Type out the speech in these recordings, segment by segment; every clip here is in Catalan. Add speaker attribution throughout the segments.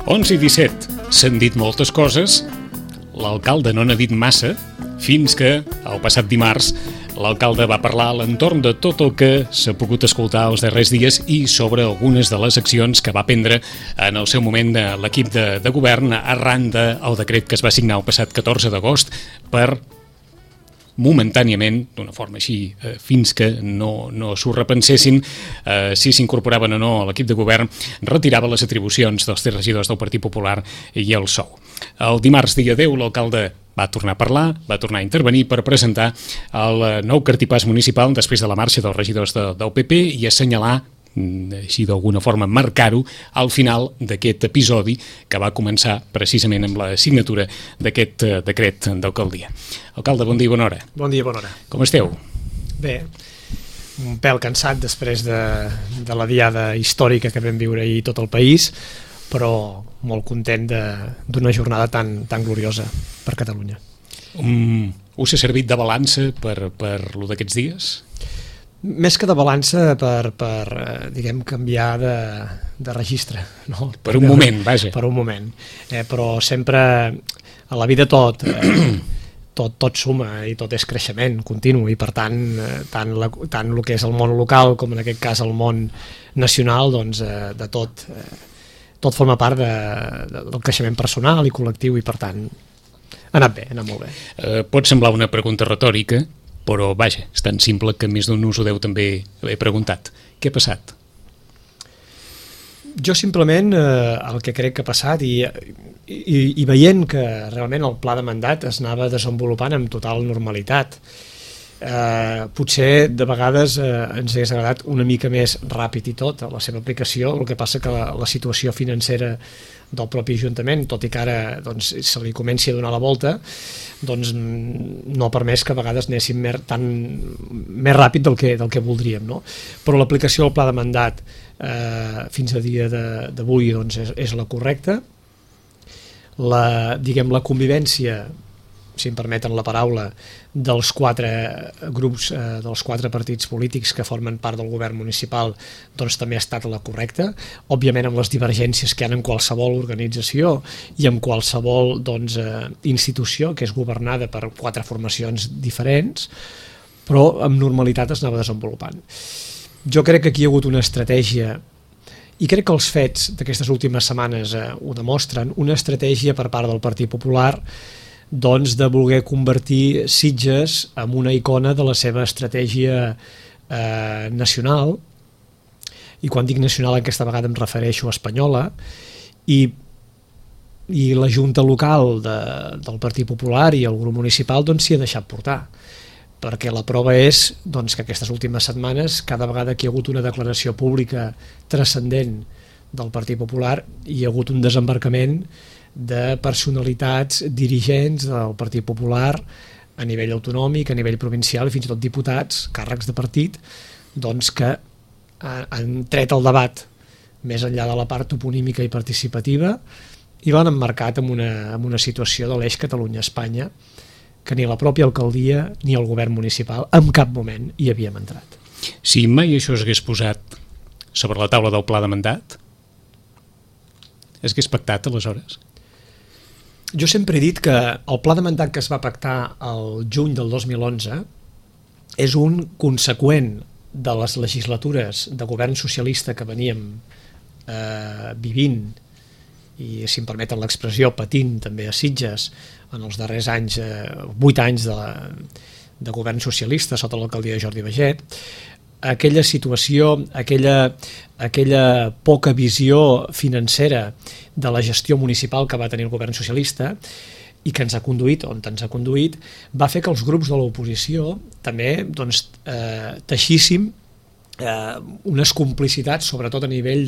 Speaker 1: 11:17. S'han dit moltes coses, l'alcalde no n'ha dit massa, fins que, el passat dimarts, l'alcalde va parlar a l'entorn de tot el que s'ha pogut escoltar els darrers dies i sobre algunes de les accions que va prendre en el seu moment l'equip de govern arran del decret que es va signar el passat 14 d'agost per momentàniament, d'una forma així, fins que no s'ho repensessin, si s'incorporaven o no a l'equip de govern, retirava les atribucions dels 3 regidors del Partit Popular i el sou. El dimarts, dia 10, l'alcalde va tornar a parlar, va tornar a intervenir per presentar el nou cartipàs municipal després de la marxa dels regidors del PP i assenyalar, així d'alguna forma marcar-ho, al final d'aquest episodi que va començar precisament amb la signatura d'aquest decret d'alcaldia. Alcalde, bon dia i bona hora.
Speaker 2: Bon dia i bona hora.
Speaker 1: Com esteu?
Speaker 2: Bé, un pèl cansat després de la diada històrica que vam viure ahir tot el país, però molt content d'una jornada tan gloriosa per Catalunya.
Speaker 1: Us ha servit de balança per lo d'aquests dies?
Speaker 2: Més que de balança per diguem, canviar de registre. No?
Speaker 1: Per un moment, vaja.
Speaker 2: Per un moment. Però sempre a la vida tot suma i tot és creixement continu i per tant el que és el món local com en aquest cas el món nacional, doncs de tot forma part del creixement personal i col·lectiu i per tant ha anat bé, ha anat molt bé.
Speaker 1: Pot semblar una pregunta retòrica, però vaja, és tan simple que més d'un us ho deu també haver preguntat. Què ha passat?
Speaker 2: Jo simplement el que crec que ha passat i veient que realment el pla de mandat es anava desenvolupant amb total normalitat, potser de vegades ens hagués agradat una mica més ràpid i tot la seva aplicació, el que passa que la situació financera del propi Ajuntament, tot i que ara doncs, se li comenci a donar la volta, doncs no ha permès que a vegades anéssim més ràpid del que voldríem, no? Però l'aplicació del pla de mandat fins a dia d'avui doncs, és la correcta. La convivència, si em permeten la paraula, dels 4 grups, dels 4 partits polítics que formen part del govern municipal, doncs també ha estat la correcta, òbviament amb les divergències que hi ha en qualsevol organització i en qualsevol institució que és governada per 4 formacions diferents, però amb normalitat es anava desenvolupant. Jo crec que aquí hi ha hagut una estratègia, i crec que els fets d'aquestes últimes setmanes ho demostren, una estratègia per part del Partit Popular doncs de voler convertir Sitges en una icona de la seva estratègia nacional, i quan dic nacional aquesta vegada em refereixo a espanyola, i la Junta local del Partit Popular i el grup municipal doncs s'hi ha deixat portar, perquè la prova és doncs, que aquestes últimes setmanes, cada vegada que hi ha hagut una declaració pública transcendent del Partit Popular, hi ha hagut un desembarcament de personalitats dirigents del Partit Popular a nivell autonòmic, a nivell provincial i fins i tot diputats, càrrecs de partit, doncs que han tret el debat més enllà de la part toponímica i participativa i l'han emmarcat en una situació de l'eix Catalunya-Espanya que ni la pròpia alcaldia ni el govern municipal en cap moment hi havíem entrat.
Speaker 1: Si mai això s'hagués posat sobre la taula del pla de mandat, s'hagués pactat aleshores?
Speaker 2: Jo sempre he dit que el pla de mandat que es va pactar el juny del 2011 és un conseqüent de les legislatures de govern socialista que veníem vivint i, si em permeten l'expressió, patint també a Sitges en els darrers anys, 8 anys de govern socialista sota l'alcaldia de Jordi Baget. Aquella situació, aquella poca visió financera de la gestió municipal que va tenir el govern socialista i que ens ha conduït on ens ha conduït, va fer que els grups de l'oposició també doncs, teixíssim unes complicitats, sobretot a nivell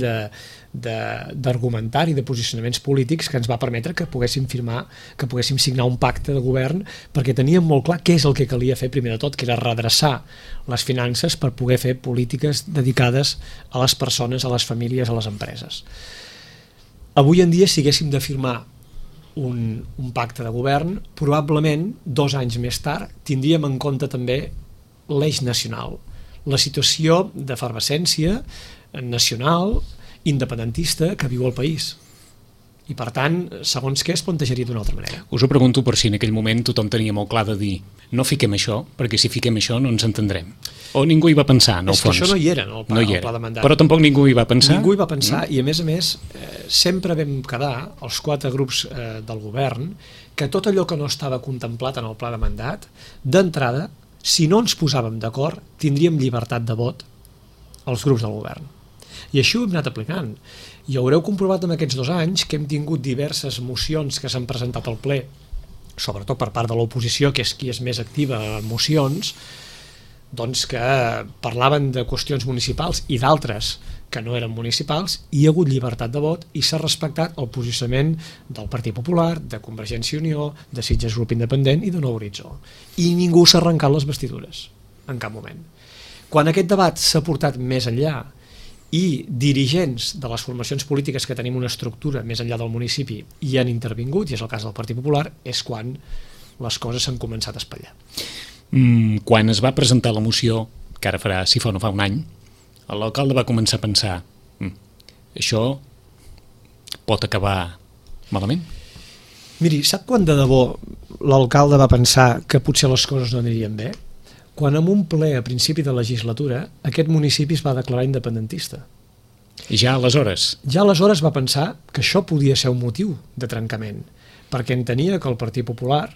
Speaker 2: d'argumentari, de posicionaments polítics, que ens va permetre que poguéssim signar un pacte de govern, perquè teníem molt clar què és el que calia fer primer de tot, que era redreçar les finances per poder fer polítiques dedicades a les persones, a les famílies, a les empreses. Avui en dia, si haguéssim de firmar un pacte de govern, probablement 2 anys més tard tindríem en compte també l'eix nacional, la situació d'efervescència nacional independentista que viu el país. I per tant, segons què es plantejaria d'una altra manera.
Speaker 1: Us ho pregunto per si en aquell moment tothom tenia molt clar de dir no fiquem això, perquè si fiquem això no ens entendrem. O ningú hi va pensar, en el fons.
Speaker 2: És que això no hi era, en el pla de mandat.
Speaker 1: Però tampoc ningú hi va pensar?
Speaker 2: Ningú hi va pensar, i a més, sempre vam quedar, els 4 grups del govern, que tot allò que no estava contemplat en el pla de mandat, d'entrada, si no ens posàvem d'acord, tindríem llibertat de vot els grups del govern. I així ho hem anat aplicant. I haureu comprovat en aquests 2 anys que hem tingut diverses mocions que s'han presentat al ple, sobretot per part de l'oposició, que és qui és més activa en mocions, doncs que parlaven de qüestions municipals i d'altres que no eren municipals, i hi ha hagut llibertat de vot i s'ha respectat el posicionament del Partit Popular, de Convergència i Unió, de Sitges Grup Independent i de Nou Horitzó. I ningú s'ha arrencat les vestidures, en cap moment. Quan aquest debat s'ha portat més enllà i dirigents de les formacions polítiques que tenim una estructura més enllà del municipi hi han intervingut, i és el cas del Partit Popular, és quan les coses s'han començat a espatllar.
Speaker 1: Quan es va presentar la moció, que ara farà, si fa o no fa un any, l'alcalde va començar a pensar això pot acabar malament?
Speaker 2: Miri, sap quan de debò l'alcalde va pensar que potser les coses no anirien bé? Quan en un ple a principi de legislatura aquest municipi es va declarar independentista.
Speaker 1: I ja aleshores?
Speaker 2: Ja aleshores va pensar que això podia ser un motiu de trencament, perquè entenia que el Partit Popular,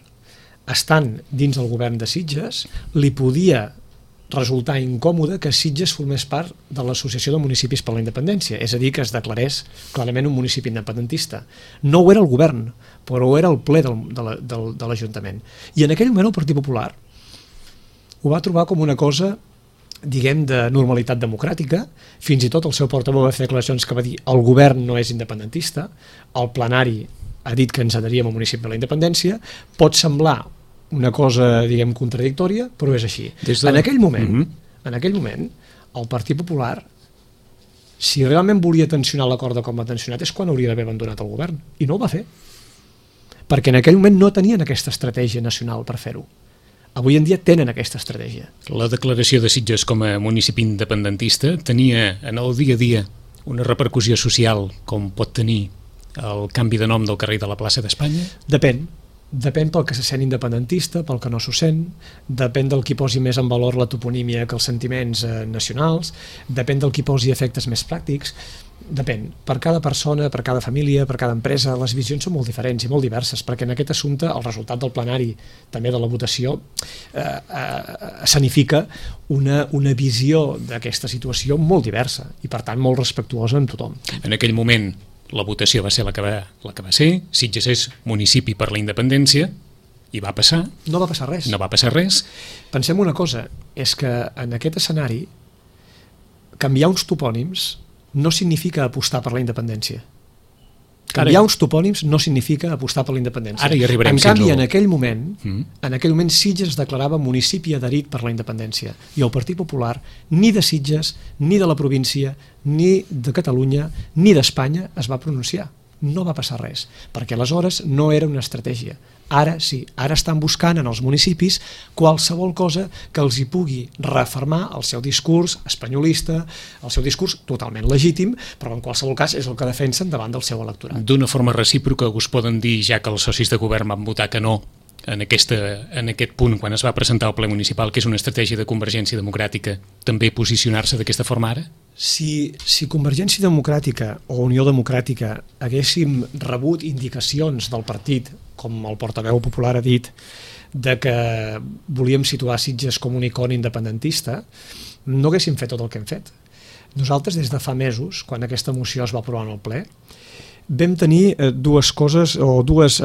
Speaker 2: estant dins del govern de Sitges, li podia resultar incòmode que Sitges formés part de l'Associació de Municipis per la Independència, és a dir, que es declarés clarament un municipi independentista. No ho era el govern, però ho era el ple de l'Ajuntament. I en aquell moment el Partit Popular ho va trobar com una cosa, diguem, de normalitat democràtica. Fins i tot el seu portaveu va fer declaracions que va dir el govern no és independentista, el plenari ha dit que ens adheríem al municipi de la independència. Pot semblar una cosa, diguem, contradictòria, però és així. En aquell moment, el Partit Popular, si realment volia tensionar l'acord de com ha tensionat, és quan hauria d'haver abandonat el govern, i no ho va fer, perquè en aquell moment no tenien aquesta estratègia nacional per fer-ho. Avui en dia tenen aquesta estratègia.
Speaker 1: La declaració de Sitges com a municipi independentista tenia en el dia a dia una repercussió social com pot tenir el canvi de nom del carrer de la plaça d'Espanya?
Speaker 2: Depèn pel que se sent independentista, pel que no s'ho sent, depèn del qui posi més en valor la toponímia que els sentiments nacionals, depèn del qui posi efectes més pràctics, depèn. Per cada persona, per cada família, per cada empresa, les visions són molt diferents i molt diverses, perquè en aquest assumpte el resultat del plenari, també de la votació, escenifica una visió d'aquesta situació molt diversa i per tant molt respectuosa amb tothom.
Speaker 1: En aquell moment la votació va ser la que va ser, Sitges és municipi per la independència, i va passar.
Speaker 2: No va passar res.
Speaker 1: No va passar res.
Speaker 2: Pensem una cosa, és que en aquest escenari canviar uns topònims no significa apostar per la independència. Canviar uns topònims no significa apostar per la independència.
Speaker 1: Ara hi arribarem.
Speaker 2: En canvi, en aquell moment Sitges es declarava municipi adherit per la independència, i el Partit Popular ni de Sitges, ni de la província, ni de Catalunya, ni d'Espanya es va pronunciar. No va passar res, perquè aleshores no era una estratègia. Ara sí, ara estan buscant en els municipis qualsevol cosa que els hi pugui refermar el seu discurs espanyolista, el seu discurs totalment legítim, però en qualsevol cas és el que defensen davant del seu electorat.
Speaker 1: D'una forma recíproca us poden dir, ja que els socis de govern van votar que no en aquest punt, quan es va presentar al ple municipal, que és una estratègia de Convergència Democràtica, també posicionar-se d'aquesta forma ara?
Speaker 2: Si Convergència Democràtica o Unió Democràtica haguéssim rebut indicacions del partit, com el portaveu popular ha dit, de que volíem situar Sitges com un iconi independentista, no haguéssim fet tot el que hem fet. Nosaltres, des de fa mesos, quan aquesta moció es va aprovar en el ple, vam tenir dues coses, o dues,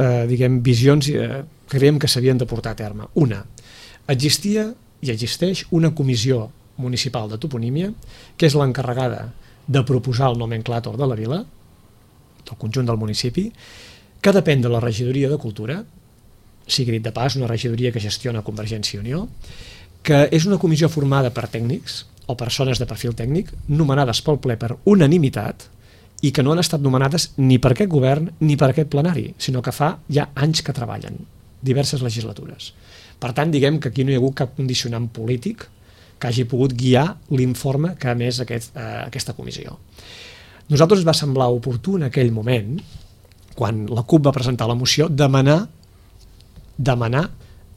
Speaker 2: visions que creiem que s'havien de portar a terme. Una, existia i existeix una comissió municipal de toponímia, que és l'encarregada de proposar el nomenclàtor de la vila, del conjunt del municipi, que depèn de la regidoria de Cultura, sigui dit de pas, una regidoria que gestiona Convergència i Unió, que és una comissió formada per tècnics o persones de perfil tècnic, nomenades pel ple per unanimitat, i que no han estat nomenades ni per aquest govern ni per aquest plenari, sinó que fa ja anys que treballen, diverses legislatures. Per tant, diguem que aquí no hi ha hagut cap condicionant polític que hagi pogut guiar l'informe que ha emès aquesta comissió. Nosaltres ens va semblar oportú en aquell moment quan la CUP va presentar la moció, demanar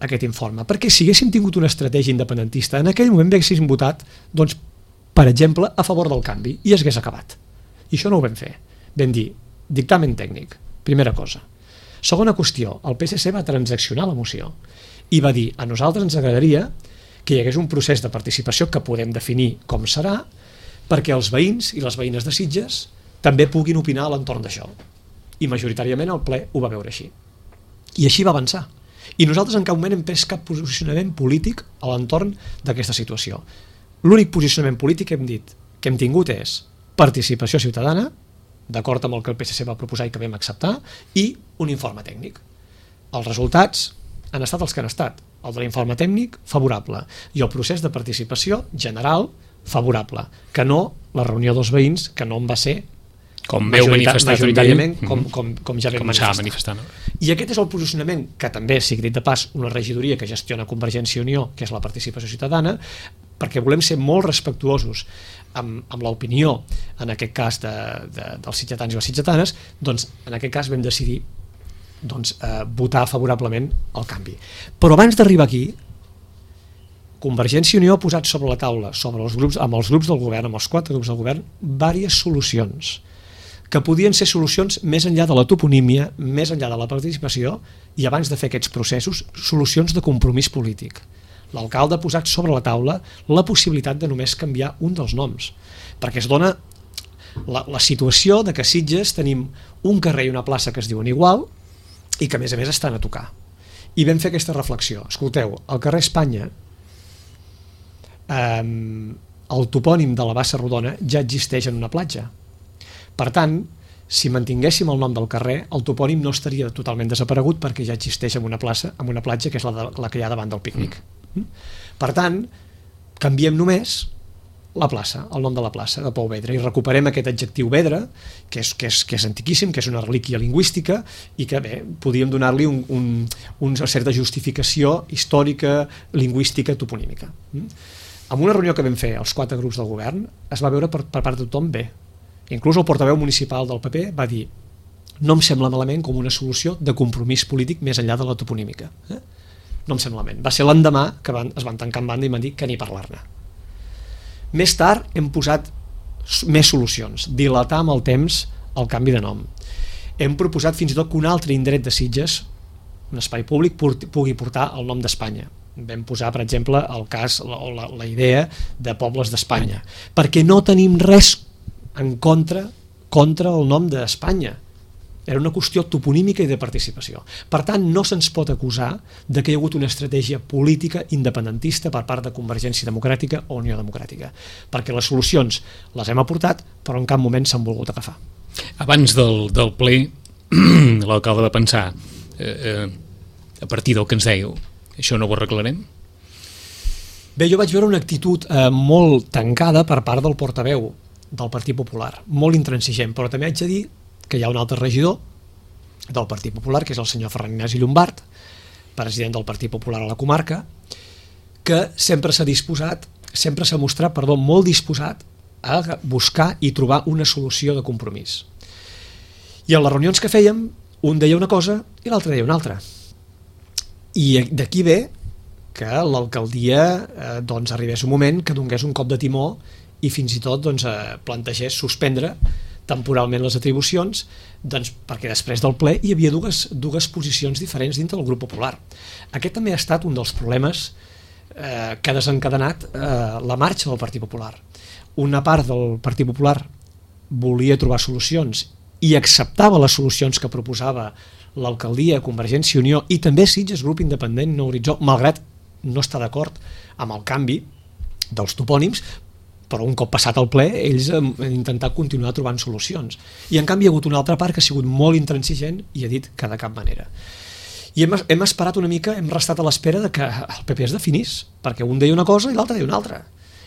Speaker 2: aquest informe, perquè si haguéssim tingut una estratègia independentista, en aquell moment haguéssim votat, doncs, per exemple, a favor del canvi, i es hagués acabat. I això no ho vam fer. Vam dir, dictamen tècnic, primera cosa. Segona qüestió, el PSC va transaccionar la moció i va dir, a nosaltres ens agradaria que hi hagués un procés de participació que podem definir com serà, perquè els veïns i les veïnes de Sitges també puguin opinar a l'entorn d'això. I majoritàriament el ple ho va veure així. I així va avançar. I nosaltres en cap moment hem pres cap posicionament polític a l'entorn d'aquesta situació. L'únic posicionament polític que hem dit, que hem tingut és participació ciutadana, d'acord amb el que el PSC va proposar i que vam acceptar, i un informe tècnic. Els resultats han estat els que han estat. El de l'informe tècnic, favorable, i el procés de participació general, favorable, que no la reunió dels veïns, que no en va ser
Speaker 1: com veu manifestar
Speaker 2: majoritàriament, com ja vam
Speaker 1: manifestar. No?
Speaker 2: I aquest és el posicionament que també, sigui dit de pas, una regidoria que gestiona Convergència i Unió, que és la participació ciutadana, perquè volem ser molt respectuosos amb l'opinió, en aquest cas dels sitgetans i les sitgetanes, doncs en aquest cas vam decidir votar favorablement el canvi. Però abans d'arribar aquí, Convergència i Unió ha posat sobre la taula, amb els grups del govern, amb els 4 grups del govern, diverses solucions, que podien ser solucions més enllà de la toponímia, més enllà de la participació, i abans de fer aquests processos, solucions de compromís polític. L'alcalde ha posat sobre la taula la possibilitat de només canviar un dels noms, perquè es dona la situació de que a Sitges tenim un carrer i una plaça que es diuen igual i que a més estan a tocar. I vam fer aquesta reflexió. Escolteu, al carrer Espanya el topònim de la Bassa Rodona ja existeix en una platja. Per tant, si mantinguéssim el nom del carrer, el topònim no estaria totalment desaparegut perquè ja existeix en una platja que és la que hi ha davant del pícnic. Per tant, canviem només la plaça, el nom de la plaça de Pou Vedra, i recuperem aquest adjectiu Vedra, que és antiquíssim, que és una relíquia lingüística i que bé, podíem donar-li una certa justificació històrica, lingüística, toponímica. En una reunió que vam fer els 4 grups del govern es va veure per part de tothom bé. Inclús el portaveu municipal del PP va dir, no em sembla malament com una solució de compromís polític més enllà de la toponímica. No em sembla malament. Va ser l'endemà que es van tancar en banda i van dir que ni parlar-ne. Més tard hem posat més solucions, dilatar amb el temps el canvi de nom. Hem proposat fins i tot que un altre indret de Sitges, un espai públic, pugui portar el nom d'Espanya. Vam posar, per exemple, el cas o la idea de pobles d'Espanya, perquè no tenim res en contra el nom d'Espanya. Era una qüestió toponímica i de participació. Per tant, no se'ns pot acusar de que hi ha hagut una estratègia política independentista per part de Convergència Democràtica o Unió Democràtica, perquè les solucions les hem aportat, però en cap moment s'han volgut agafar.
Speaker 1: Abans del ple, l'alcalde va pensar, a partir del que ens dèieu, això no ho arreglarem?
Speaker 2: Bé, jo vaig veure una actitud molt tancada per part del portaveu del Partit Popular, molt intransigent, però també haig de dir que hi ha un altre regidor del Partit Popular, que és el senyor Ferran Ignasi Llombart, president del Partit Popular a la comarca, que sempre s'ha mostrat molt disposat a buscar i trobar una solució de compromís. I en les reunions que fèiem, un deia una cosa i l'altre deia una altra. I d'aquí ve que l'alcaldia arribés un moment que donés un cop de timó i fins i tot plantegés suspendre temporalment les atribucions, perquè després del ple hi havia dues posicions diferents dintre del grup popular. Aquest també ha estat un dels problemes que ha desencadenat la marxa del Partit Popular. Una part del Partit Popular volia trobar solucions i acceptava les solucions que proposava l'alcaldia, Convergència i Unió i també Sitges, grup independent, No Horitzó, malgrat no estar d'acord amb el canvi dels topònims, però un cop passat el ple ells han intentat continuar trobant solucions. I en canvi hi ha hagut una altra part que ha sigut molt intransigent i ha dit que de cap manera. I hem esperat una mica, hem restat a l'espera de que el PP es definís, perquè un deia una cosa i l'altre deia una altra,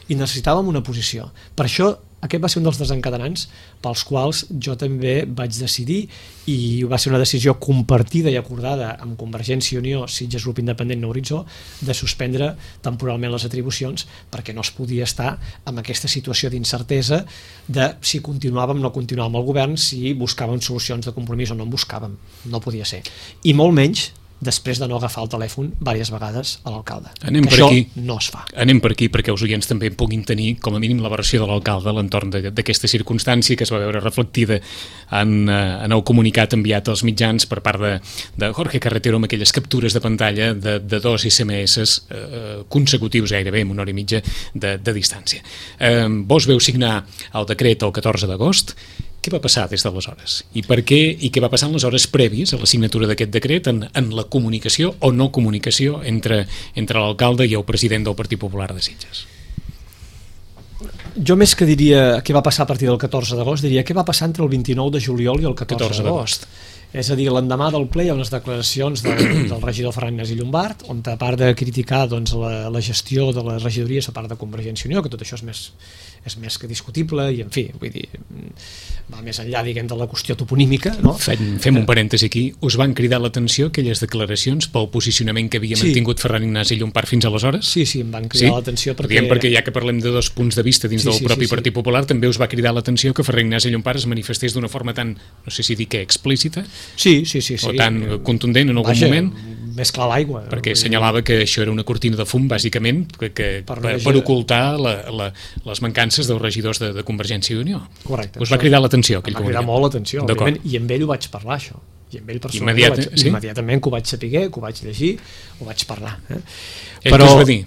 Speaker 2: i necessitàvem una posició. Per això aquest va ser un dels desencadenants pels quals jo també vaig decidir, i va ser una decisió compartida i acordada amb Convergència i Unió, Sitges Grup Independent No Horitzó, de suspendre temporalment les atribucions, perquè no es podia estar amb aquesta situació d'incertesa de si continuàvem o no continuàvem al govern, si buscàvem solucions de compromís o no en buscàvem. No podia ser. I molt menys després de no agafar el telèfon diverses vegades a l'alcalde.
Speaker 1: Anem
Speaker 2: que
Speaker 1: per
Speaker 2: això
Speaker 1: aquí.
Speaker 2: No es fa.
Speaker 1: Anem per aquí perquè els oients també puguin tenir com a mínim la versió de l'alcalde a l'entorn d'aquesta circumstància que es va veure reflectida en el comunicat enviat als mitjans per part de Jorge Carretero, amb aquelles captures de pantalla de 2 SMS consecutius gairebé amb 1 hora i mitja de distància. Vos veu signar el decret el 14 d'agost. Què va passar des d'aleshores? I per què? I què va passar en les hores prèvies a la signatura d'aquest decret en la comunicació o no comunicació entre l'alcalde i el president del Partit Popular de Sitges?
Speaker 2: Jo més que diria què va passar a partir del 14 d'agost, diria què va passar entre el 29 de juliol i el 14 d'agost. És a dir, l'endemà del ple hi ha unes declaracions del regidor Ferran Ignasi Llombart, on a part de criticar doncs, la gestió de les regidories a part de Convergència i Unió, que tot això és més que discutible, i en fi, vull dir, va més enllà, diguem, de la qüestió toponímica, no?
Speaker 1: Fem un parèntesi aquí. Us van cridar l'atenció aquelles declaracions pel posicionament que havia mantingut Ferran Ignasi Llombart fins aleshores?
Speaker 2: Sí, em van cridar l'atenció
Speaker 1: perquè ja que parlem de 2 punts de vista dins del propi Partit Popular, també us va cridar l'atenció que Ferran Ignasi Llombart es manifestés d'una forma tan, no sé si dir que explícita,
Speaker 2: sí.
Speaker 1: o tan contundent en algun moment,
Speaker 2: més clar l'aigua,
Speaker 1: perquè assenyalava que això era una cortina de fum bàsicament per ocultar les mancances dels regidors de Convergència i Unió.
Speaker 2: Correcte.
Speaker 1: Us va cridar l'atenció aquell comunicat?
Speaker 2: Va cridar molt l'atenció, òbviament, i amb ell ho vaig parlar, això, i amb ell personalment immediatament que ho vaig saber, que ho vaig llegir, ho vaig parlar.
Speaker 1: Ell què us va dir?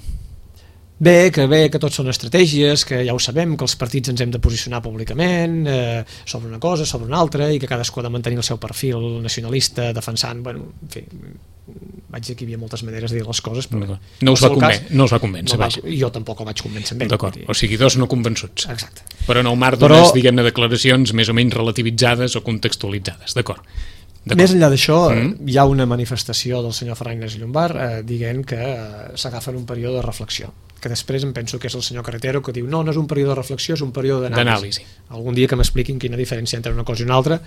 Speaker 2: Bé, que tot són estratègies, que ja ho sabem, que els partits ens hem de posicionar públicament sobre una cosa, sobre una altra, i que cadascú ha de mantenir el seu perfil nacionalista, defensant, bueno, en fi, vaig dir que hi havia moltes maneres de dir les coses, però
Speaker 1: no us va convèncer.
Speaker 2: Jo tampoc el vaig convèncer amb ell.
Speaker 1: D'acord, o sigui, 2 no convençuts.
Speaker 2: Exacte.
Speaker 1: Però en el marc d'unes, diguem-ne, declaracions més o menys relativitzades o contextualitzades, d'acord.
Speaker 2: Més enllà d'això, hi ha una manifestació del senyor Ferran Ignasi Llombart dient que s'agafa en un període de reflexió, que després em penso que és el senyor Carretero que diu no és un període de reflexió, és un període d'anàlisi. Algun dia que m'expliquin quina diferència entre una cosa i una altra,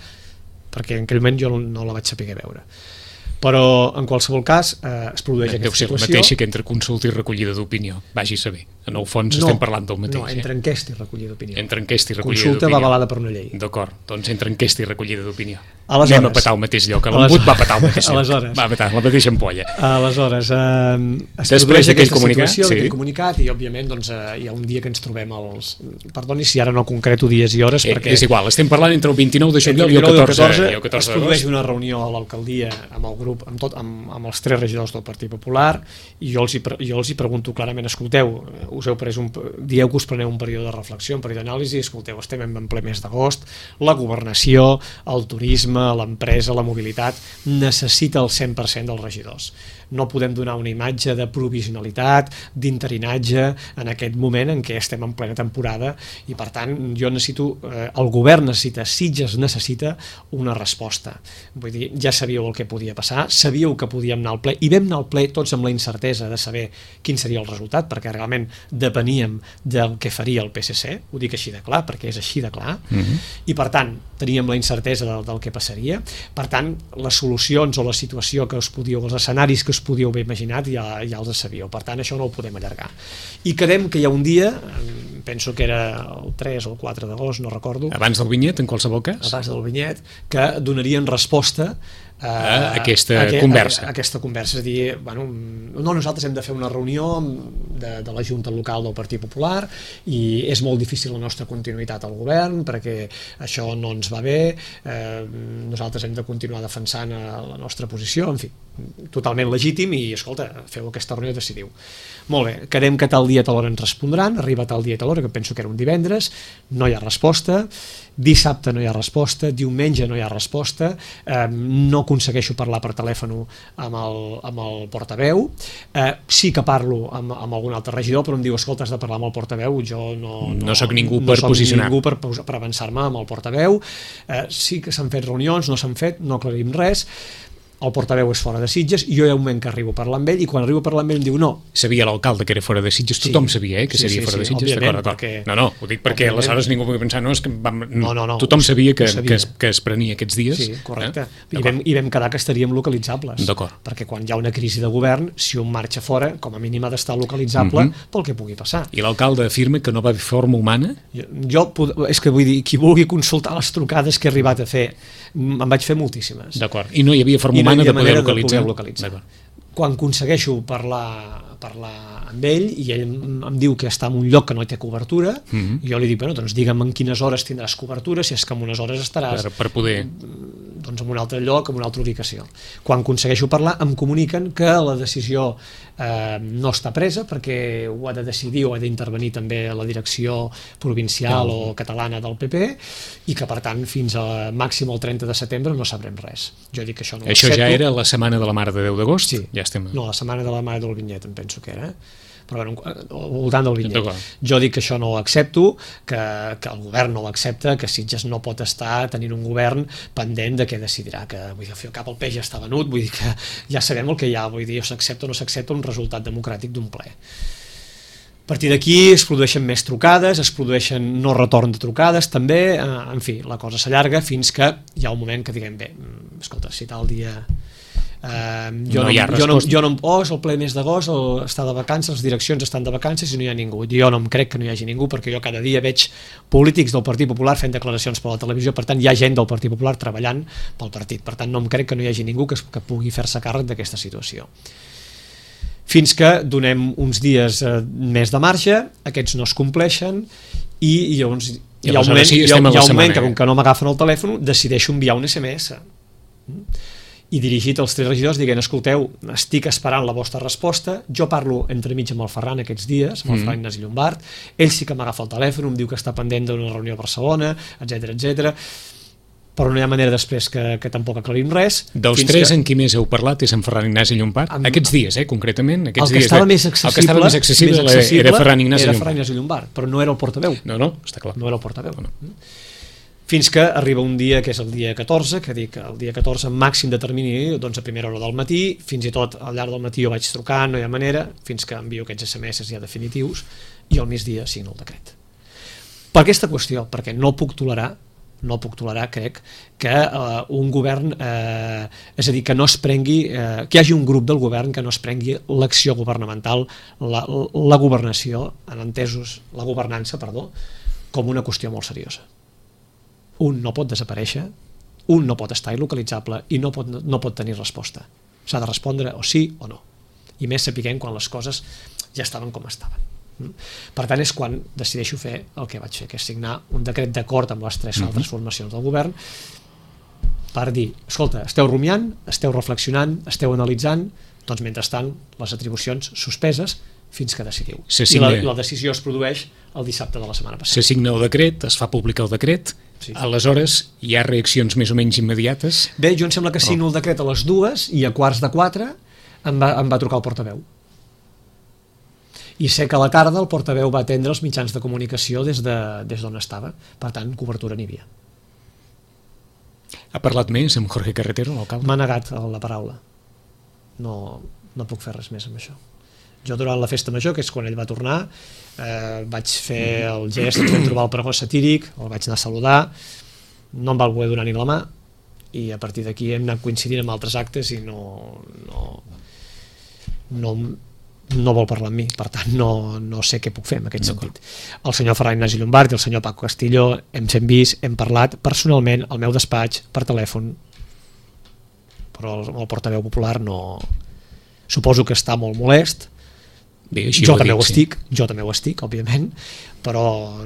Speaker 2: perquè en aquell moment jo no la vaig saber veure. Però en qualsevol cas es produeix aquesta situació. Deu ser la
Speaker 1: mateixa que entre consulta i recollida d'opinió, vagi a saber. En el fons estem parlant del mateix.
Speaker 2: No, entre enquesta i recollida d'opinió.
Speaker 1: Entre enquesta i recollida d'opinió.
Speaker 2: Consulta va avalada per una llei.
Speaker 1: D'acord, doncs entre enquesta i recollida d'opinió.
Speaker 2: Anem
Speaker 1: a petar al mateix lloc, l'embut va petar al mateix lloc. Va petar la mateixa ampolla.
Speaker 2: Aleshores, es produeix aquesta situació, aquell comunicat, i òbviament hi ha un dia que ens trobem els... Perdoni si ara no concreto dies i hores, perquè...
Speaker 1: És igual, estem parlant entre el 29 de juliol i el 14 d'agost.
Speaker 2: Es produeix una reunió a l'alcaldia amb el grup, amb els 3 regidors del Partit Popular, i jo els hi pregunto clarament, escolteu, dieu que us preneu un període de reflexió, un període d'anàlisi, escolteu, estem en ple mes d'agost, la governació, el turisme, l'empresa, la mobilitat, necessita el 100% dels regidors. No podem donar una imatge de provisionalitat, d'interinatge en aquest moment en què estem en plena temporada, i per tant jo necessito, el govern necessita, Sitges necessita una resposta. Vull dir, ja sabíeu el que podia passar, sabíeu que podíem anar al ple, i vam anar al ple tots amb la incertesa de saber quin seria el resultat, perquè realment depeníem del que faria el PSC, ho dic així de clar, perquè és així de clar, i per tant teníem la incertesa del que passaria. Per tant, les solucions o la situació que us podíeu, els escenaris que us podíeu haver imaginat ja els sabíeu. Per tant, això no ho podem allargar. I quedem que hi ha un dia, penso que era el 3 o el 4 d'agost, no recordo.
Speaker 1: Abans del vinyet, en qualsevol cas?
Speaker 2: Abans del vinyet, que donarien resposta
Speaker 1: a aquesta conversa.
Speaker 2: Aquesta conversa, és a dir, bueno, nosaltres hem de fer una reunió de la Junta Local del Partit Popular i és molt difícil la nostra continuïtat al govern perquè això no ens va bé, nosaltres hem de continuar defensant la nostra posició, en fi, totalment legítim, i escolta, feu aquesta reunió i decidiu. Molt bé, quedem que tal dia tal hora ens respondran, arriba tal dia tal hora, que penso que era un divendres, no hi ha resposta, dissabte no hi ha resposta, diumenge no hi ha resposta, no aconsegueixo parlar per telèfon amb el portaveu, sí que parlo amb algun altre regidor, però em diu, escolta, has de parlar amb el portaveu, jo
Speaker 1: no soc ningú per posicionar.
Speaker 2: No soc ningú per avançar-me amb el portaveu, sí que s'han fet reunions, no s'han fet, no aclarim res. el portaveu és fora de Sitges, jo hi ha un moment que arribo a parlar amb ell, i quan arribo a parlar amb ell em diu no.
Speaker 1: Sabia l'alcalde que era fora de Sitges, tothom sabia que seria fora de Sitges, d'acord. No, ho dic perquè aleshores ningú pugui pensar, no, és que tothom sabia que es prenia aquests dies.
Speaker 2: Sí, correcte. I vam quedar que estaríem localitzables.
Speaker 1: D'acord.
Speaker 2: Perquè quan hi ha una crisi de govern, si un marxa fora, com a mínim ha d'estar localitzable pel que pugui passar.
Speaker 1: I l'alcalde afirma que no va haver forma humana?
Speaker 2: És que vull dir, qui vulgui consultar les trucades que he arribat a fer, en vaig fer moltíssimes.
Speaker 1: D'acord. I no hi havia forma humana de poder localitzar.
Speaker 2: Quan aconsegueixo parlar amb ell i ell em diu que està en un lloc que no té cobertura, jo li dic, bueno, doncs digue'm en quines hores tindràs cobertura, si és que en unes hores estaràs
Speaker 1: per poder
Speaker 2: doncs en un altre lloc, en una altra ubicació. Quan aconsegueixo parlar em comuniquen que la decisió no està presa perquè ho ha de decidir o ha d'intervenir també la direcció provincial o catalana del PP, i que per tant fins a màxim el 30 de setembre no sabrem res. Jo dic que això no ho accepto.
Speaker 1: Això ja era la setmana de la Mare de Déu d'agost?
Speaker 2: Sí.
Speaker 1: Ja estem.
Speaker 2: No, la setmana de la Mare del Vinyet em penso que era, però bueno, al voltant del Vinyet. Jo dic que això no ho accepto, que el govern no ho accepta, que Sitges no pot estar tenint un govern pendent de què decidirà, que vull dir, cap al peix ja està venut, vull dir que ja sabem el que hi ha, vull dir, o s'accepta o no s'accepta un resultat democràtic d'un ple. A partir d'aquí es produeixen més trucades, es produeixen no retorn de trucades també, en fi, la cosa s'allarga fins que hi ha un moment que diguem, bé, escolta, si tal dia és el ple mes d'agost, està de vacances, les direccions estan de vacances i no hi ha ningú. Jo no em crec que no hi hagi ningú, perquè jo cada dia veig polítics del Partit Popular fent declaracions per la televisió, per tant hi ha gent del Partit Popular treballant pel partit, per tant no em crec que no hi hagi ningú que pugui fer-se càrrec d'aquesta situació. Fins que donem uns dies més de marge, aquests no es compleixen, i llavors hi ha un moment que com que no m'agafen el telèfon decideixo enviar un SMS i dirigit als 3 regidors dient, escolteu, estic esperant la vostra resposta, jo parlo entremig amb el Ferran aquests dies, amb el Ferran Ignasi Llombart, ell sí que m'agafa el telèfon, em diu que està pendent d'una reunió a Barcelona, etc, però no hi ha manera després que tampoc aclarim res.
Speaker 1: Dels 3 en qui més heu parlat és en Ferran Ignasi Llombart? Aquests dies, concretament?
Speaker 2: El que estava més accessible
Speaker 1: era Ferran Ignasi
Speaker 2: Llombart, però no era el portaveu.
Speaker 1: No, està clar.
Speaker 2: No era el portaveu. Fins que arriba un dia, que és el dia 14, que dic el dia 14 màxim de termini, doncs a primera hora del matí, fins i tot al llarg del matí jo vaig trucar, no hi ha manera, fins que envio aquests SMS ja definitius, i al migdia signo el decret. Per aquesta qüestió, perquè no puc tolerar, crec, que un govern, és a dir, que no es prengui, que hi hagi un grup del govern que no es prengui l'acció governamental, la governació, en entesos, la governança, perdó, com una qüestió molt seriosa. Un no pot desaparèixer, un no pot estar il·localitzable i no pot tenir resposta. S'ha de respondre o sí o no. I més sapiguem quan les coses ja estaven com estaven. Per tant, és quan decideixo fer el que vaig fer, que és signar un decret d'acord amb les 3 altres formacions del govern per dir, escolta, esteu rumiant, esteu reflexionant, esteu analitzant, doncs mentrestant les atribucions suspeses fins que decidiu. I la decisió es produeix el dissabte de la setmana passada.
Speaker 1: Se signa el decret, es fa públic el decret, aleshores hi ha reaccions més o menys immediates?
Speaker 2: Bé, jo em sembla que signo el decret a les 2 i a 3:15 em va trucar el portaveu. I sé que a la tarda el portaveu va atendre els mitjans de comunicació des d'on estava. Per tant, cobertura n'hi havia.
Speaker 1: Ha parlat més amb Jorge Carretero, l'alcalde?
Speaker 2: M'ha negat la paraula. No puc fer res més amb això. Jo durant la festa major, que és quan ell va tornar, vaig fer el gest, ens vam trobar el pregó satíric, el vaig anar a saludar, no em va voler donar ni la mà, i a partir d'aquí hem anat coincidint amb altres actes i no vol parlar amb mi, per tant no sé què puc fer en aquest sentit. El senyor Ferran Ignasi Llombart i el senyor Paco Castillo hem vist, hem parlat personalment al meu despatx per telèfon, però el portaveu popular no... Suposo que està molt molest.
Speaker 1: Bé,
Speaker 2: jo també ho estic, òbviament, però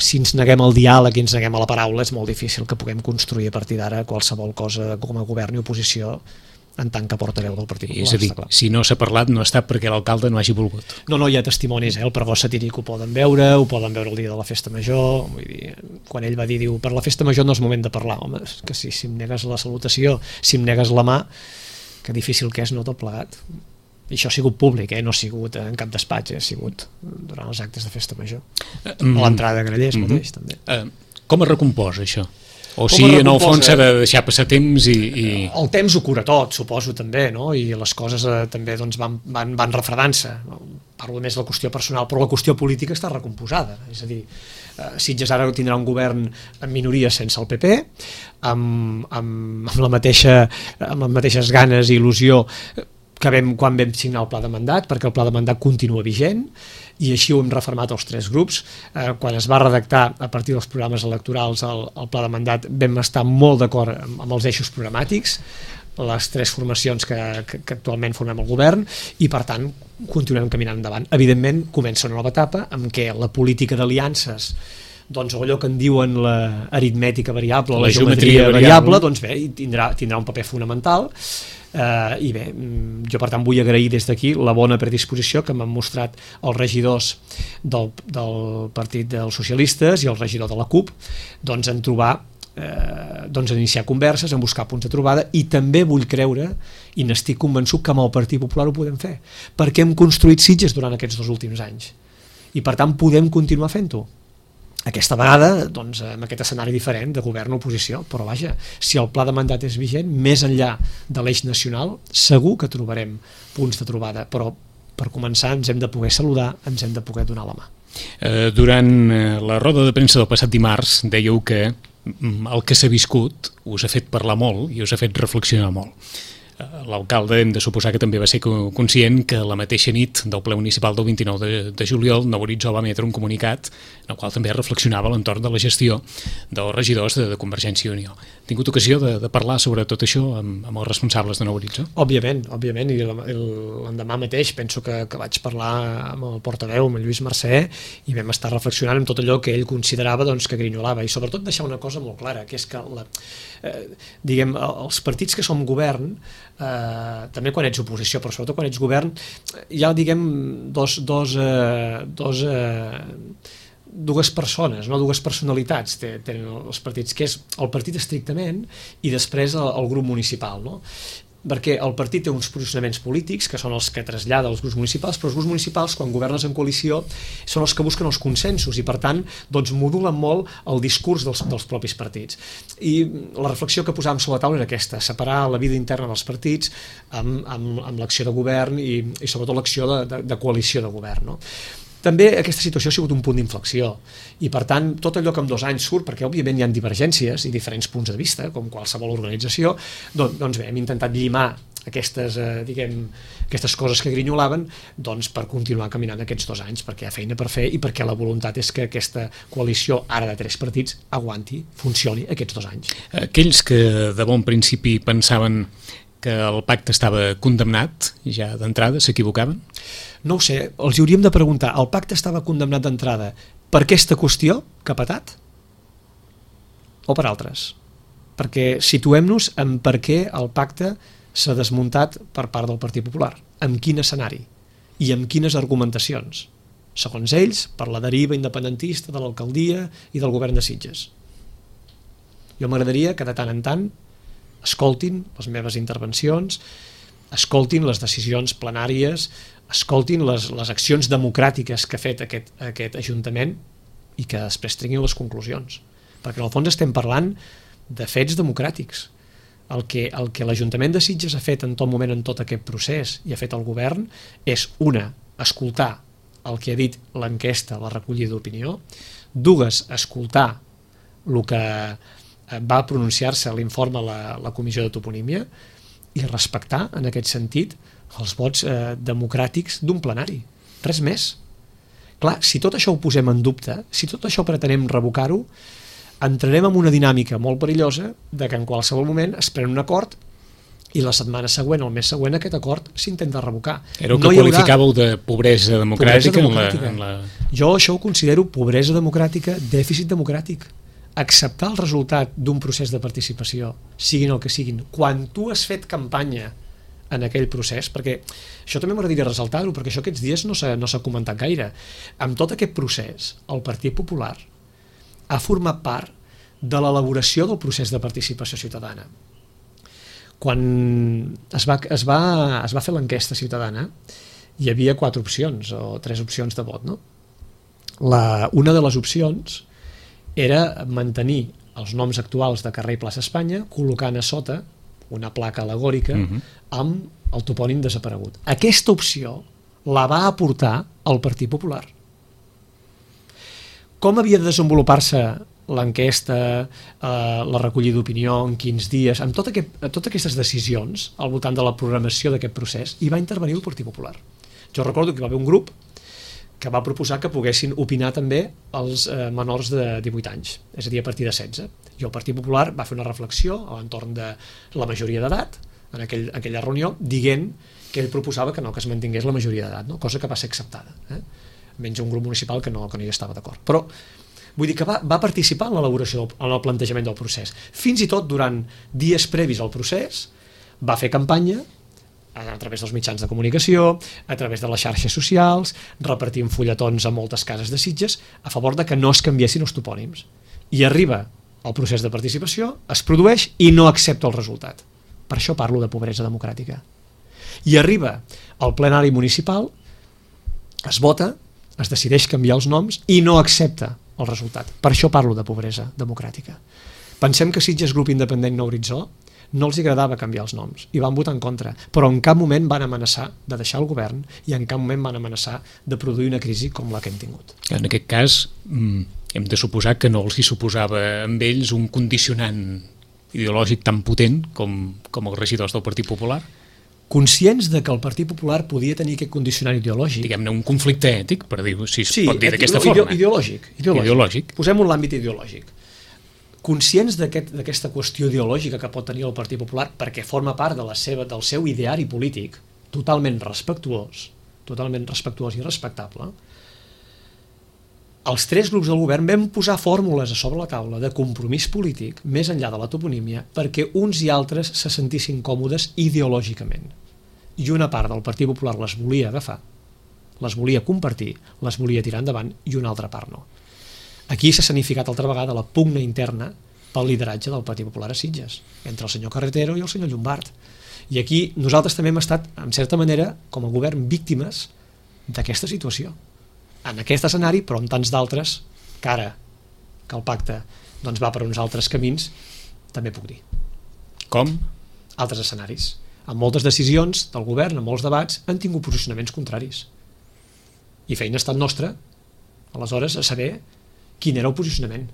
Speaker 2: si ens neguem al diàleg i ens neguem a la paraula és molt difícil que puguem construir a partir d'ara qualsevol cosa com a govern i oposició en tant que portaveu del Partit Popular.
Speaker 1: És a dir, si no s'ha parlat no ha estat perquè l'alcalde no hagi volgut.
Speaker 2: No, hi ha testimonis, el pregó satíric ho poden veure el dia de la festa major, vull dir, quan ell va dir, per la festa major no és moment de parlar, home, que si em negues la salutació, si em negues la mà, que difícil que és, no, tot plegat. I això ha sigut públic, no ha sigut en cap despatx, ha sigut durant els actes de festa major. A l'entrada de Grallers mateix, també.
Speaker 1: Com es recomposa això? O sigui, en el fons s'ha de deixar passar temps i...
Speaker 2: El temps ho cura tot, suposo, també, no? I les coses també doncs, van refredant-se. Parlo més de la qüestió personal, però la qüestió política està recomposada. És a dir, Sitges ara tindrà un govern en minoria sense el PP, amb les mateixes ganes i il·lusió que quan vam signar el pla de mandat, perquè el pla de mandat continua vigent, i així ho hem refermat els 3 grups. Quan es va redactar a partir dels programes electorals el pla de mandat, vam estar molt d'acord amb els eixos programàtics, les 3 formacions que actualment formem el govern, i per tant continuem caminant endavant. Evidentment comença una nova etapa en què la política d'aliances, doncs allò que en diuen l'aritmètica variable, la geometria variable, doncs bé, tindrà un paper fonamental. I bé, jo per tant vull agrair des d'aquí la bona predisposició que m'han mostrat els regidors del Partit dels Socialistes i el regidor de la CUP doncs en trobar doncs iniciar converses, en buscar punts de trobada, i també vull creure i n'estic convençut que amb el Partit Popular ho podem fer, perquè hem construït Sitges durant aquests 2 últims anys i per tant podem continuar fent-ho. Aquesta vegada, doncs, amb aquest escenari diferent de govern-oposició, però vaja, si el pla de mandat és vigent, més enllà de l'eix nacional, segur que trobarem punts de trobada, però per començar ens hem de poder saludar, ens hem de poder donar la mà.
Speaker 1: Durant la roda de premsa del passat dimarts dèieu que el que s'ha viscut us ha fet parlar molt i us ha fet reflexionar molt. L'alcalde hem de suposar que també va ser conscient que la mateixa nit del ple municipal del 29 de juliol Nou Horitzó va emetre un comunicat en el qual també reflexionava a l'entorn de la gestió dels regidors de Convergència i Unió. Ha tingut ocasió de parlar sobre tot això amb els responsables de Nou Horitzó?
Speaker 2: Òbviament, i l'endemà mateix penso que vaig parlar amb el portaveu, amb el Lluís Mercè, i vam estar reflexionant amb tot allò que ell considerava doncs, que grinyolava, i sobretot deixar una cosa molt clara, que és que diguem, els partits que som govern, també quan ets oposició, però sobretot quan ets govern, hi ha, diguem, dues persones, no? Dues personalitats tenen els partits, que és el partit estrictament i després el grup municipal, no? Perquè el partit té uns posicionaments polítics que són els que trasllada als grups municipals, però els grups municipals, quan governes en coalició, són els que busquen els consensos i, per tant, doncs, modulen molt el discurs dels propis partits. I la reflexió que posàvem sobre la taula era aquesta, separar la vida interna dels partits amb l'acció de govern i sobretot l'acció de coalició de govern, no? També aquesta situació ha sigut un punt d'inflexió i, per tant, tot allò que en 2 anys surt, perquè òbviament hi ha divergències i diferents punts de vista, com qualsevol organització, doncs bé, hem intentat llimar aquestes coses que grinyolaven doncs, per continuar caminant aquests 2 anys, perquè hi ha feina per fer i perquè la voluntat és que aquesta coalició, ara de 3 partits, aguanti, funcioni aquests 2 anys.
Speaker 1: Aquells que de bon principi pensaven que el pacte estava condemnat ja d'entrada, s'equivocaven?
Speaker 2: No ho sé, els hauríem de preguntar, el pacte estava condemnat d'entrada per aquesta qüestió que ha patat? O per altres? Perquè situem-nos en per què el pacte s'ha desmuntat per part del Partit Popular, amb quin escenari i amb quines argumentacions, segons ells, per la deriva independentista de l'alcaldia i del govern de Sitges. Jo m'agradaria que de tant en tant escoltin les meves intervencions, escoltin les decisions plenàries, escoltin les accions democràtiques que ha fet aquest Ajuntament i que després treguin les conclusions. Perquè en el fons estem parlant de fets democràtics. El que l'Ajuntament de Sitges ha fet en tot moment, en tot aquest procés, i ha fet el govern, és escoltar el que ha dit l'enquesta, la recollida d'opinió, 2, escoltar el que va pronunciar-se a l'informe la Comissió de Toponímia i respectar, en aquest sentit, els vots democràtics d'un plenari. Res més. Clar, si tot això ho posem en dubte, si tot això pretenem revocar-ho, entrarem en una dinàmica molt perillosa de que en qualsevol moment es pren un acord i la setmana següent o el mes següent aquest acord s'intenta revocar.
Speaker 1: Era el que qualificàveu de pobresa democràtica.
Speaker 2: Jo això ho considero pobresa democràtica, dèficit democràtic. Acceptar el resultat d'un procés de participació, siguin el que siguin, quan tu has fet campanya en aquell procés, perquè això també m'agradaria ressaltar-ho, perquè això aquests dies no s'ha comentat gaire. Amb tot aquest procés, el Partit Popular ha format part de l'elaboració del procés de participació ciutadana. Quan es va fer l'enquesta ciutadana, hi havia 4 opcions o 3 opcions de vot, no? Una de les opcions era mantenir els noms actuals de carrer i plaça Espanya, col·locant a sota una placa alegòrica amb el topònim desaparegut. Aquesta opció la va aportar el Partit Popular. Com havia de desenvolupar-se l'enquesta, la recollida d'opinió, en quins dies, amb totes aquestes decisions al voltant de la programació d'aquest procés, hi va intervenir el Partit Popular. Jo recordo que hi va haver un grup que va proposar que poguessin opinar també els menors de 18 anys, és a dir, a partir de 16. I el Partit Popular va fer una reflexió a l'entorn de la majoria d'edat, en aquella reunió, dient que ell proposava que es mantingués la majoria d'edat, no? Cosa que va ser acceptada. Menys un grup municipal que no hi estava d'acord. Però vull dir que va participar en l'elaboració, en el plantejament del procés. Fins i tot durant dies previs al procés va fer campanya a través dels mitjans de comunicació, a través de les xarxes socials, repartint fulletons a moltes cases de Sitges a favor de que no es canviessin els topònims. I arriba el procés de participació, es produeix i no accepta el resultat. Per això parlo de pobresa democràtica. I arriba al plenari municipal, es vota, es decideix canviar els noms i no accepta el resultat. Per això parlo de pobresa democràtica. Pensem que Sitges Grup Independent Nou Horitzó no els agradava canviar els noms i van votar en contra, però en cap moment van amenaçar de deixar el govern i en cap moment van amenaçar de produir una crisi com la que hem tingut.
Speaker 1: En aquest cas, hem de suposar que no els hi suposava amb ells un condicionant ideològic tan potent com els regidors del Partit Popular?
Speaker 2: Conscients de que el Partit Popular podia tenir aquest condicionant ideològic.
Speaker 1: Diguem-ne, un conflicte ètic, per dir-ho, si es pot dir d'aquesta forma.
Speaker 2: Ideològic. Posem-ho en l'àmbit ideològic. Conscients d'aquesta qüestió ideològica que pot tenir el Partit Popular perquè forma part del seu ideari polític, totalment respectuós i respectable, els tres grups del govern vam posar fórmules a sobre la taula de compromís polític més enllà de la toponímia perquè uns i altres se sentissin còmodes ideològicament. I una part del Partit Popular les volia agafar, les volia compartir, les volia tirar endavant i una altra part no. Aquí s'ha escenificat altra vegada la pugna interna pel lideratge del Partit Popular a Sitges, entre el senyor Carretero i el senyor Llombart. I aquí nosaltres també hem estat, en certa manera, com a govern, víctimes d'aquesta situació. En aquest escenari, però en tants d'altres, que ara que el pacte va per uns altres camins, també puc dir.
Speaker 1: Com?
Speaker 2: Altres escenaris. En moltes decisions del govern, en molts debats, han tingut posicionaments contraris. I feina ha estat nostra, aleshores, a saber quin era el posicionament.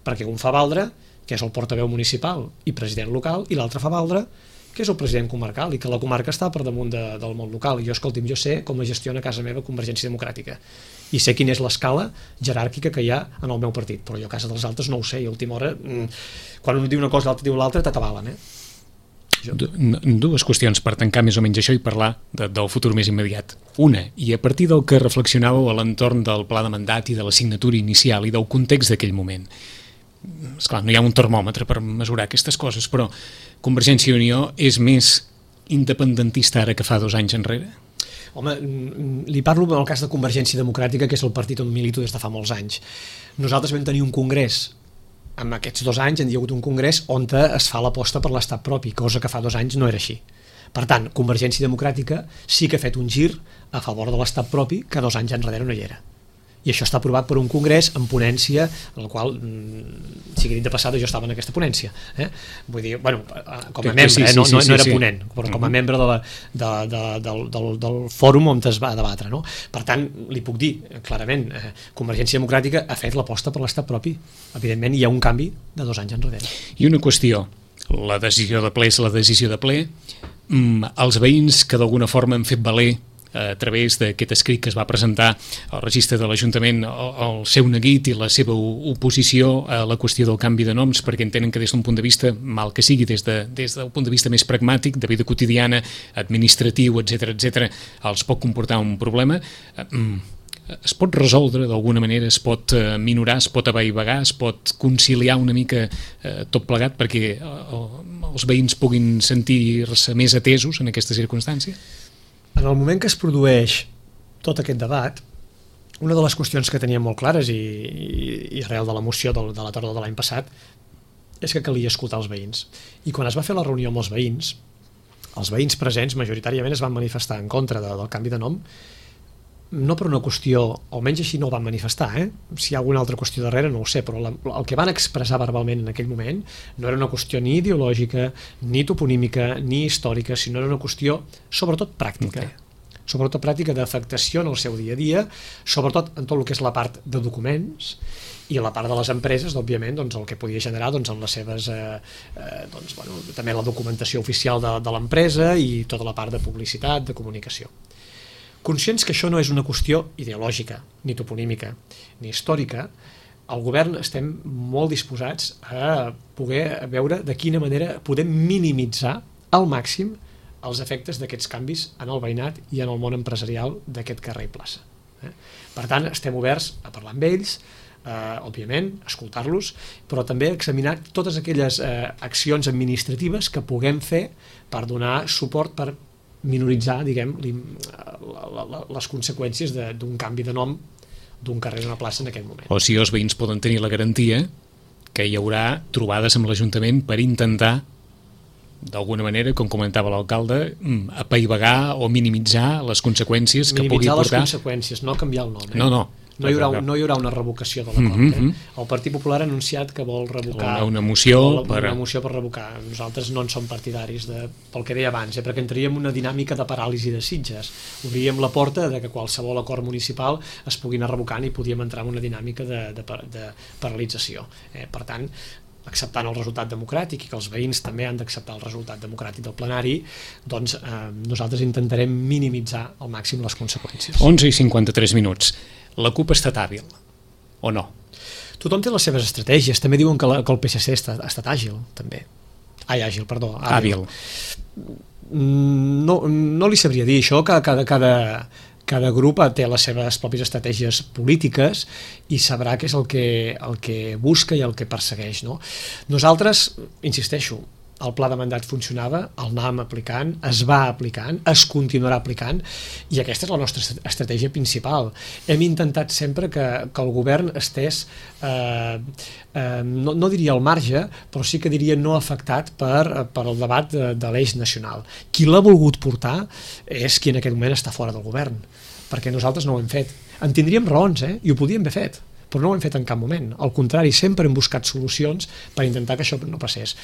Speaker 2: Perquè un fa valdre, que és el portaveu municipal i president local, i l'altre fa valdre, que és el president comarcal, i que la comarca està per damunt del món local. I jo, jo sé com es gestiona a casa meva Convergència Democràtica. I sé quina és l'escala jeràrquica que hi ha en el meu partit. Però jo a casa dels altres no ho sé, i a última hora, quan un diu una cosa i l'altre diu l'altra, t'atabalen,
Speaker 1: Dues qüestions per tancar més o menys això i parlar del futur més immediat. Una, i a partir del que reflexionàveu a l'entorn del pla de mandat i de la signatura inicial i del context d'aquell moment. Esclar, no hi ha un termòmetre per mesurar aquestes coses, però Convergència i Unió és més independentista ara que fa 2 anys enrere?
Speaker 2: Home, li parlo en el cas de Convergència Democràtica, que és el partit on milito des de fa molts anys. Nosaltres vam tenir un congrés. En aquests 2 anys hi ha hagut un congrés on es fa l'aposta per l'estat propi, cosa que fa 2 anys no era així. Per tant, Convergència Democràtica sí que ha fet un gir a favor de l'estat propi que 2 anys enrere no hi era. I això està aprovat per un congrés en ponència, en el qual, sigui dit de passada, jo estava en aquesta ponència. Vull dir, bueno, com a membre, no era ponent, però com a membre del fòrum on es va debatre. No? Per tant, li puc dir, clarament, Convergència Democràtica ha fet l'aposta per l'estat propi. Evidentment, hi ha un canvi de 2 anys enrere.
Speaker 1: I una qüestió, la decisió de ple és la decisió de ple. Els veïns que d'alguna forma han fet valer a través d'aquest escrit que es va presentar al registre de l'Ajuntament el seu neguit i la seva oposició a la qüestió del canvi de noms, perquè entenen que des d'un punt de vista, mal que sigui des del punt de vista més pragmàtic, de vida quotidiana, administratiu, etc, els pot comportar un problema. Es pot resoldre d'alguna manera, es pot minorar, es pot avaivagar, es pot conciliar una mica tot plegat perquè els veïns puguin sentir-se més atesos en aquesta circumstància?
Speaker 2: En el moment que es produeix tot aquest debat, una de les qüestions que teníem molt clares i arrel de la moció de la tardor de l'any passat és que calia escoltar els veïns. I quan es va fer la reunió amb els veïns presents majoritàriament es van manifestar en contra del canvi de nom no per una qüestió, almenys així no ho van manifestar, si hi ha alguna altra qüestió darrere no ho sé, però el que van expressar verbalment en aquell moment no era una qüestió ni ideològica, ni toponímica, ni històrica, sinó era una qüestió sobretot pràctica. Sobretot pràctica d'afectació en el seu dia a dia, sobretot en tot el que és la part de documents i la part de les empreses, òbviament, el que podia generar en les seves, també la documentació oficial de l'empresa i tota la part de publicitat, de comunicació. Conscients que això no és una qüestió ideològica, ni toponímica, ni històrica, al govern estem molt disposats a poder veure de quina manera podem minimitzar al màxim els efectes d'aquests canvis en el veïnat i en el món empresarial d'aquest carrer i plaça. Per tant, estem oberts a parlar amb ells, òbviament, escoltar-los, però també examinar totes aquelles accions administratives que puguem fer per donar suport, per minoritzar, diguem, les conseqüències d'un canvi de nom d'un carrer o una plaça en aquest moment.
Speaker 1: O sigui, els veïns poden tenir la garantia que hi haurà trobades amb l'Ajuntament per intentar, d'alguna manera, com comentava l'alcalde, apaivagar o minimitzar les conseqüències que pugui portar...
Speaker 2: Minimitzar les conseqüències, no canviar el nom.
Speaker 1: No.
Speaker 2: No hi haurà una revocació de l'acord. El Partit Popular ha anunciat que vol revocar...
Speaker 1: Una moció
Speaker 2: per revocar. Nosaltres no en som partidaris, pel que deia abans, perquè entraríem una dinàmica de paràlisi de Sitges. Obríem la porta de que qualsevol acord municipal es pugui anar revocant i podíem entrar en una dinàmica de paralització. Per tant, acceptant el resultat democràtic i que els veïns també han d'acceptar el resultat democràtic del plenari, doncs nosaltres intentarem minimitzar al màxim les conseqüències.
Speaker 1: 11:53 minuts. La CUP ha estat hàbil, o no?
Speaker 2: Tothom té les seves estratègies. També diuen que el PSC ha estat àgil, també. Àgil, perdó.
Speaker 1: Hàbil.
Speaker 2: No li sabria dir això, que cada grup té les seves pròpies estratègies polítiques i sabrà què és el que busca i el que persegueix. Nosaltres, insisteixo, el pla de mandat funcionava, el anàvem aplicant, es va aplicant, es continuarà aplicant, i aquesta és la nostra estratègia principal. Hem intentat sempre que el govern estés, no diria al marge, però sí que diria no afectat per el debat de l'eix nacional. Qui l'ha volgut portar és qui en aquest moment està fora del govern, perquè nosaltres no ho hem fet. En tindríem raons, i ho podíem haver fet, però no ho hem fet en cap moment. Al contrari, sempre hem buscat solucions per intentar que això no passés.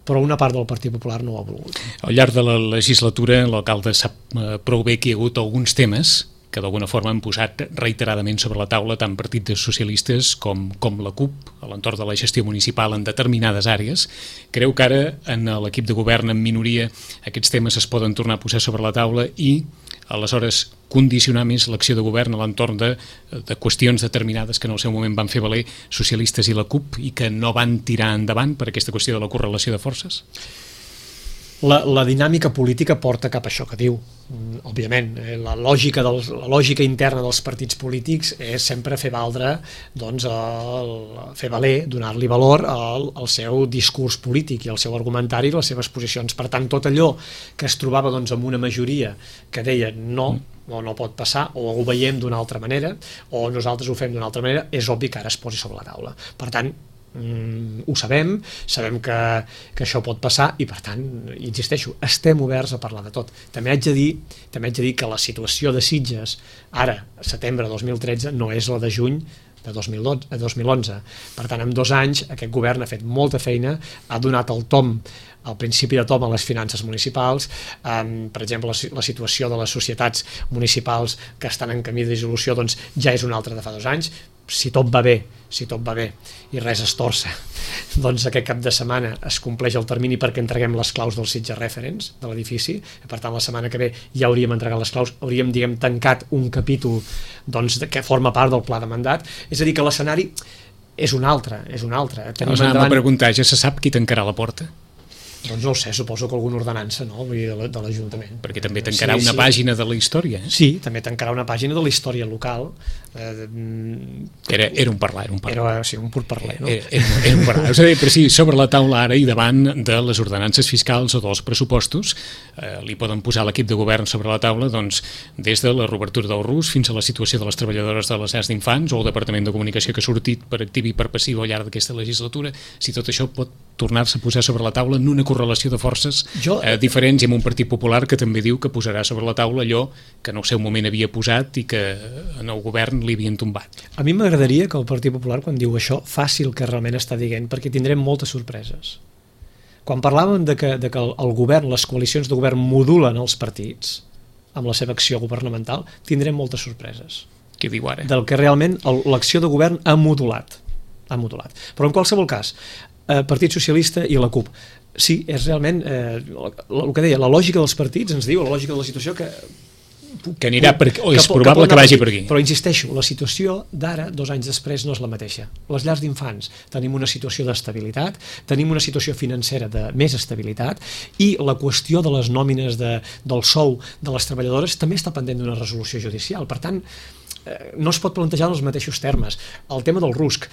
Speaker 2: Però una part del Partit Popular no ho ha volgut.
Speaker 1: Al llarg de la legislatura, l'alcalde sap prou bé que hi ha hagut alguns temes que d'alguna forma han posat reiteradament sobre la taula tant partits socialistes com la CUP a l'entorn de la gestió municipal en determinades àrees. Creu que ara en l'equip de govern en minoria aquests temes es poden tornar a posar sobre la taula i aleshores condicionar més l'acció de govern a l'entorn de qüestions determinades que en el seu moment van fer valer socialistes i la CUP i que no van tirar endavant per aquesta qüestió de la correlació de forces?
Speaker 2: La dinàmica política porta cap a això que diu. Òbviament, la lògica interna dels partits polítics és sempre fer valdre, fer valer, donar-li valor al seu discurs polític i al seu argumentari i les seves posicions. Per tant, tot allò que es trobava amb una majoria que deia no, o no pot passar, o ho veiem d'una altra manera, o nosaltres ho fem d'una altra manera, és obvi que ara es posi sobre la taula. Per tant, ho sabem que això pot passar i per tant, insisteixo, estem oberts a parlar de tot. També haig de dir que la situació de Sitges ara, setembre de 2013, no és la de juny de 2011. Per tant, en 2 anys aquest govern ha fet molta feina, ha donat el principi de tom a les finances municipals, per exemple la situació de les societats municipals que estan en camí de dissolució ja és una altra de fa 2 anys. Si tot va bé i res es torça, doncs aquest cap de setmana es compleix el termini perquè entreguem les claus dels Sitges Referents de l'edifici, per tant la setmana que ve ja hauríem entregat les claus, hauríem tancat un capítol que forma part del pla de mandat, és a dir que l'escenari és un altre.
Speaker 1: Anem a preguntar, ja se sap qui tancarà la porta?
Speaker 2: Doncs no ho sé, suposo que alguna ordenança, no? Vull dir, de l'Ajuntament.
Speaker 1: Perquè també tancarà una pàgina de la història.
Speaker 2: Sí, també tancarà una pàgina de la història local.
Speaker 1: Era un parlar.
Speaker 2: Sí, un pur parlar, no?
Speaker 1: Era un parlar. És a dir, però sí, sobre la taula ara i davant de les ordenances fiscals o dels pressupostos, li poden posar l'equip de govern sobre la taula des de la reobertura del RUS fins a la situació de les treballadores de les llars d'infants o el Departament de Comunicació que ha sortit per activa i per passiva al llarg d'aquesta legislatura, si tot això pot tornar-se a posar sobre la taula en una correlació de forces diferents, i amb un Partit Popular que també diu que posarà sobre la taula allò que en el seu moment havia posat i que en el govern li havien tombat.
Speaker 2: A mi m'agradaria que el Partit Popular, quan diu això, faci el que realment està dient, perquè tindrem moltes sorpreses. Quan parlàvem de que el govern, les coalicions de govern modulen els partits amb la seva acció governamental, tindrem moltes sorpreses.
Speaker 1: Què diu ara?
Speaker 2: Del que realment l'acció de govern ha modulat. Però en qualsevol cas, Partit Socialista i la CUP, sí, és realment el que deia, la lògica dels partits ens diu, la lògica de la situació que
Speaker 1: anirà per aquí, o és probable que vagi per aquí.
Speaker 2: Però insisteixo, la situació d'ara, 2 anys després, no és la mateixa. Les llars d'infants tenim una situació d'estabilitat, tenim una situació financera de més estabilitat, i la qüestió de les nòmines del sou de les treballadores també està pendent d'una resolució judicial. Per tant, no es pot plantejar en els mateixos termes. El tema del RUSC,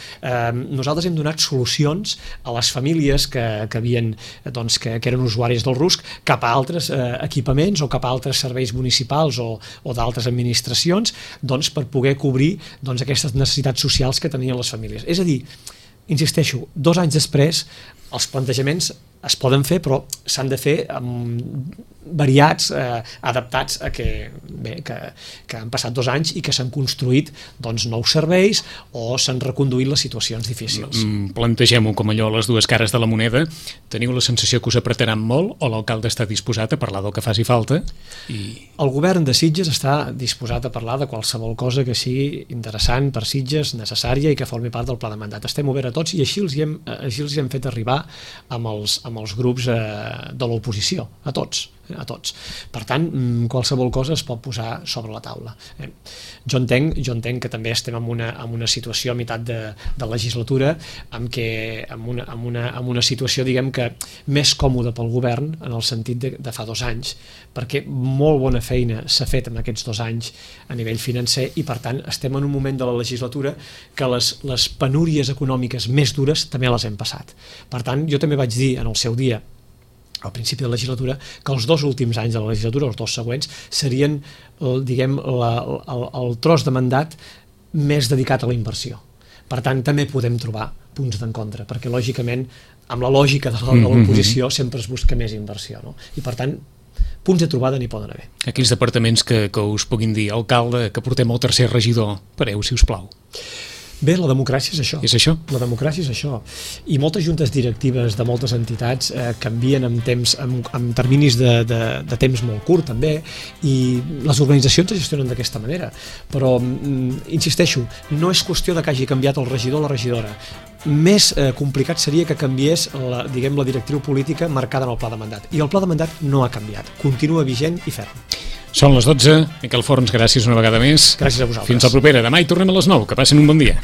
Speaker 2: nosaltres hem donat solucions a les famílies que eren usuaris del RUSC cap a altres equipaments o cap a altres serveis municipals o d'altres administracions, per poder cobrir aquestes necessitats socials que tenien les famílies. És a dir, insisteixo, 2 anys després els plantejaments es poden fer, però s'han de fer variats, adaptats a que han passat 2 anys i que s'han construït nous serveis o s'han reconduït les situacions difícils.
Speaker 1: Plantegem-ho com allò, les dues cares de la moneda. Teniu la sensació que us apretaran molt, o l'alcalde està disposat a parlar del que faci falta?
Speaker 2: El govern de Sitges està disposat a parlar de qualsevol cosa que sigui interessant per Sitges, necessària i que formi part del pla de mandat. Estem oberts a tots, i així els hi hem fet arribar amb els grups de l'oposició, a tots. Per tant, qualsevol cosa es pot posar sobre la taula. Jo entenc que també estem en una situació a meitat de legislatura amb una situació, diguem que, més còmoda pel govern, en el sentit de fa 2 anys, perquè molt bona feina s'ha fet en aquests 2 anys a nivell financer, i per tant estem en un moment de la legislatura que les penúries econòmiques més dures també les hem passat. Per tant, jo també vaig dir en el seu dia, al principi de la legislatura, que els 2 últims anys de la legislatura, els 2 següents, serien, diguem, el tros de mandat més dedicat a la inversió. Per tant, també podem trobar punts d'encontre, perquè lògicament, amb la lògica de l'oposició, sempre es busca més inversió, no? I per tant, punts de trobada n'hi poden haver.
Speaker 1: Aquells departaments que us puguin dir, alcalde, que portem el 3è regidor, pareu, si us plau.
Speaker 2: Bé, la democràcia és això.
Speaker 1: És això?
Speaker 2: La democràcia és això. I moltes juntes directives de moltes entitats canvien amb terminis de temps molt curt, també, i les organitzacions es gestionen d'aquesta manera. Però, insisteixo, no és qüestió de que hagi canviat el regidor o la regidora. Més complicat seria que canviés la directriu política marcada en el pla de mandat. I el pla de mandat no ha canviat. Continua vigent i ferm.
Speaker 1: Són les 12. Miquel Forns, gràcies una vegada més.
Speaker 2: Gràcies a vosaltres.
Speaker 1: Fins la propera. Demà hi tornem a les 9. Que passin un bon dia.